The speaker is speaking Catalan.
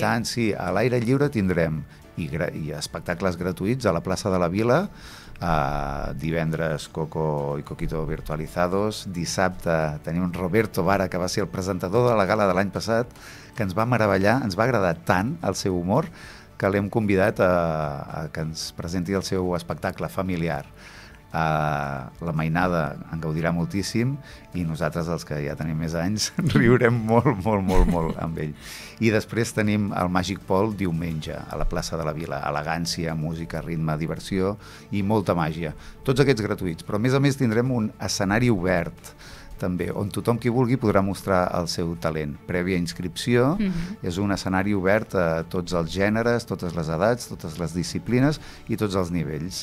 Tant, sí, a l'aire lliure tindrem i espectacles gratuïts a la plaça de la Vila, divendres Coco i Coquito Virtualizados, dissabte tenim Roberto Vara, que va ser el presentador de la gala de l'any passat, que ens va meravellar, ens va agradar tant el seu humor, que l'hem convidat a que ens presenti el seu espectacle familiar. La mainada en gaudirà moltíssim i nosaltres, els que ja tenim més anys, riurem molt amb ell. I després tenim el Màgic Pol diumenge a la plaça de la Vila. Elegància, música, ritme, diversió i molta màgia. Tots aquests gratuïts, però a més tindrem un escenari obert també, on tothom qui vulgui podrà mostrar el seu talent. Prèvia inscripció, és un escenari obert a tots els gèneres, totes les edats, totes les disciplines i tots els nivells.